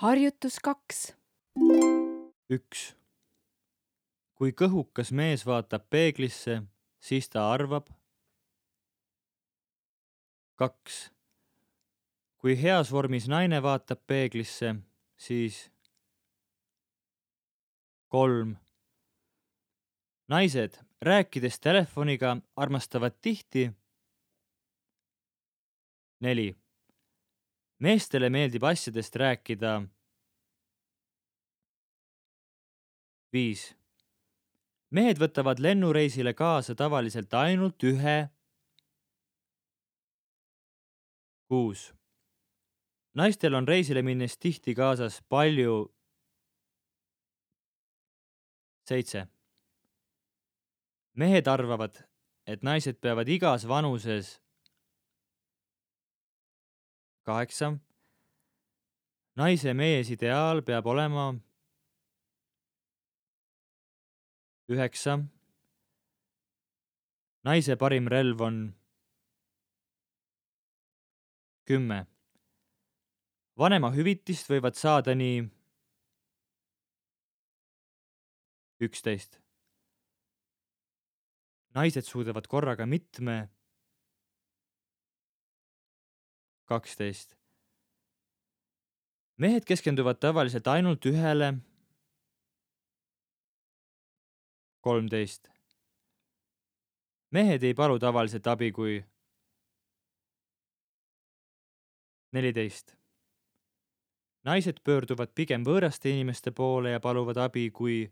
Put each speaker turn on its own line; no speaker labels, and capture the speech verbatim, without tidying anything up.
Harjutus kaks.
üks. Kui kõhukas mees vaatab peeglisse, siis ta arvab. kaks. Kui heas vormis naine vaatab peeglisse, siis kolm. Naised, rääkides telefoniga, armastavad tihti. neli. Meestele meeldib asjadest rääkida. viis. Mehed võtavad lennureisile kaasa tavaliselt ainult ühe. kuus. Naistel on reisile minnes tihti kaasas palju. seitse. Mehed arvavad, et naised peavad igas vanuses. kaheksa. Naise mees ideaal peab olema. üheksa. Naise parim relv on. kümme. Vanema hüvitist võivad saada nii. üksteist. Naised suudavad korraga mitme. kaksteist. Mehed keskenduvad tavaliselt ainult ühele. kolmteist. Mehed ei palu tavaliselt abi kui. neliteist. Naised pöörduvad pigem võõraste inimeste poole ja paluvad abi kui.